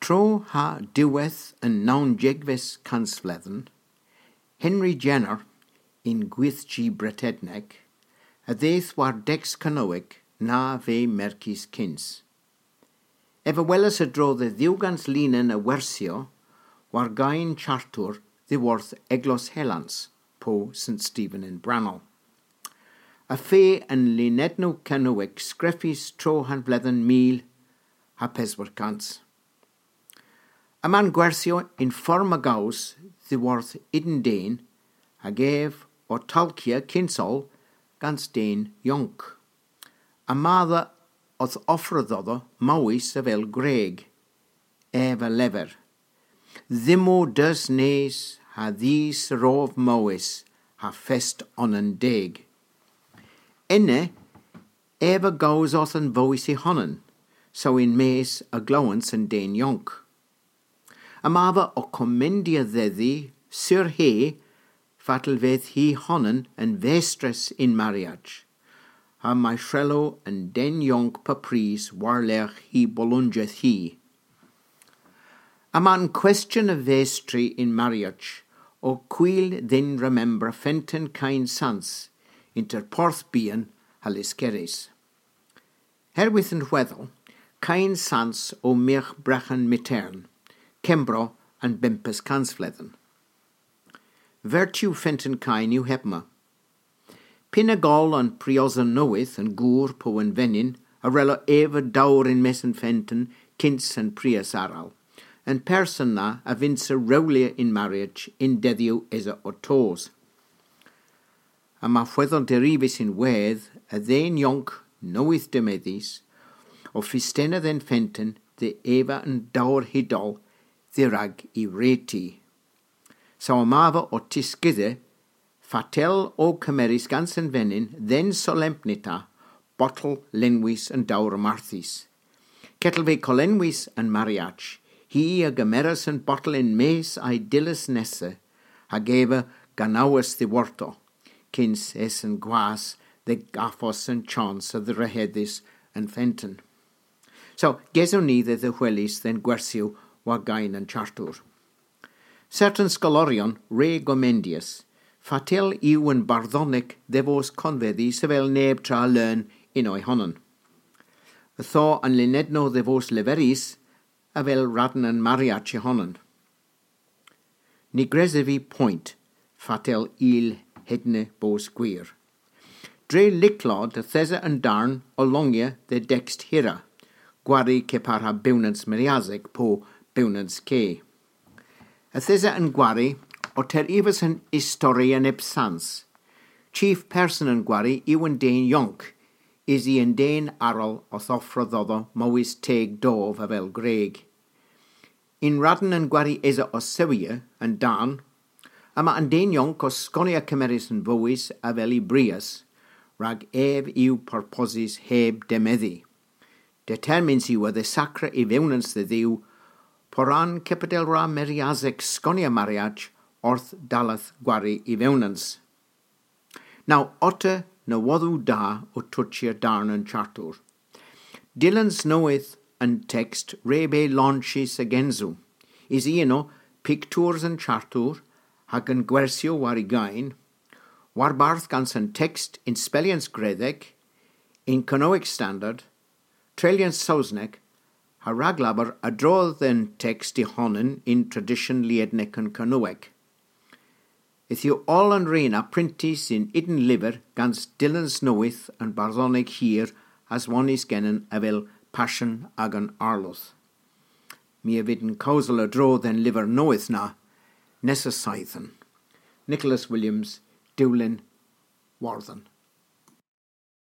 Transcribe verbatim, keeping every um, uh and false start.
Tro ha diwedh an nownsegves kansvledhen, Henry Jenner, yn gwyrdhi Bretednek, a dheuth war deks Kernowek na veu merkys kyns. Ev a welas a-dro dhe dhiwgans linen a wersyow war geyn Chartour dhyworth Eglos Helans, po Sen Stephen yn Brannel. A veu an linennow Kernowek skrifys tro ha'n vledhen mil ha peswar kans. Yma'n gwersyow yn form a gows dhyworth ydyn den, hag ev ow tolkya kyns oll gans den yonk. Yma dha owth offra dhodho mowys avel gwreg. Ev a lever: Dhymmo deus nes ha dhis a rov mowys ha fest onan deg. Ena ev a gows orth an vowys y honan, saw yn-mes a glowans an den yonk. Yma dha ow komendya dhedhi sur hy fatel vydh hi honan an vestres yn mariaj, ha may hrello an den yonk pub prys war-lergh hy bolonjedh hi. Yma'n kwestyon a vestri yn mariaj ow hwil dhyn remembra fenten Keyn Sans ynter Porthbyon ha Lyskerrys. Herwydh an hwedhel, Keyn Sans o myrgh Breghen Myghtern, Kembro an bymp kansvledhen. Vertu fenten Keyn yw hebma. Pynag oll an priosen nowydh an gour po an venyn a wrello eva dowr yn-mes an fenten kyns an prios arall, an person na a vynnsa rewlya yn mariaj y'n dedhyow esa ow tos. Yma hwedhel derivys ynwedh a dhen yonk nowydh demedhys ow fistena dhe'n fenten dhe eva an dowr hy doll dherag y wre'ti. Saw yma dha ow tiskudha fatel o kemerys gans an venyn dhe'n solempnita botel lenwys an dowr marthys. Kepar ha kollenwys an mariaj, hi a gemeras an botel yn-mes a'y dyllys nessa, hag eva ganawas dhiworto, kyns esen gwas dhe gavos an chons a dhrehedhas an fenten. Saw, gesewgh ni dhe dhehweles dhe'n gwersyow war geyn an Chartour. Sertan skoloryon re gomendyas fatel yw an bardhonek dhe vos konvedhys avel neb tra leun yn ow honan. Ytho an linennow dhe vos leverys avel radn an mariaj y honan. Ny gresov vy poynt fatel yll hedna bos gwir. Dre lycklod yth esa an darn ow longya dhe dekst hirra, gwari kepar ha bewnans Meryasek po bewnans ke. Yth esa an gwari ow terivas an istori a neb sans. Chif person an gwari yw an den yonk, usi an den arall owth offra dhodho mowys teg dov avel gwreg. Yn radn an gwari esa ow sewya an darn, yma an den yonk ow skonya kemerys an vowys avel y brios, rag ev yw porposys heb demedhi. Determyns yw a dhesakra y vewnans dhe Dhuw, poran kepar ha Meryasek skonya mariaj orth dalleth gwari y vewnans. Now, otta nowodhow da ow tochya darn an Chartour. Dyllans nowydh an tekst re beu lonchys a-gynsow. Usi ena piktours an Chartour hag an gwersyow war y geyn, warbarth gans an tekst yn spellyans Gredhek, yn Kernowek Standard, treylyans Sowsnek, ha raglabour a-dro dhe'n tekst y honan yn tradysyon liednek an Kernowek. Yth yw oll an re na prentys yn ydyn lyver gans dyllans nowydh an bardhonek hir aswonnys genen avel Pasyon agan Arloedh. My a vynn kewsel a-dro dhe'n lyver nowydh na nessa seythen. Nicholas Williams, Dulyn, Wordhen.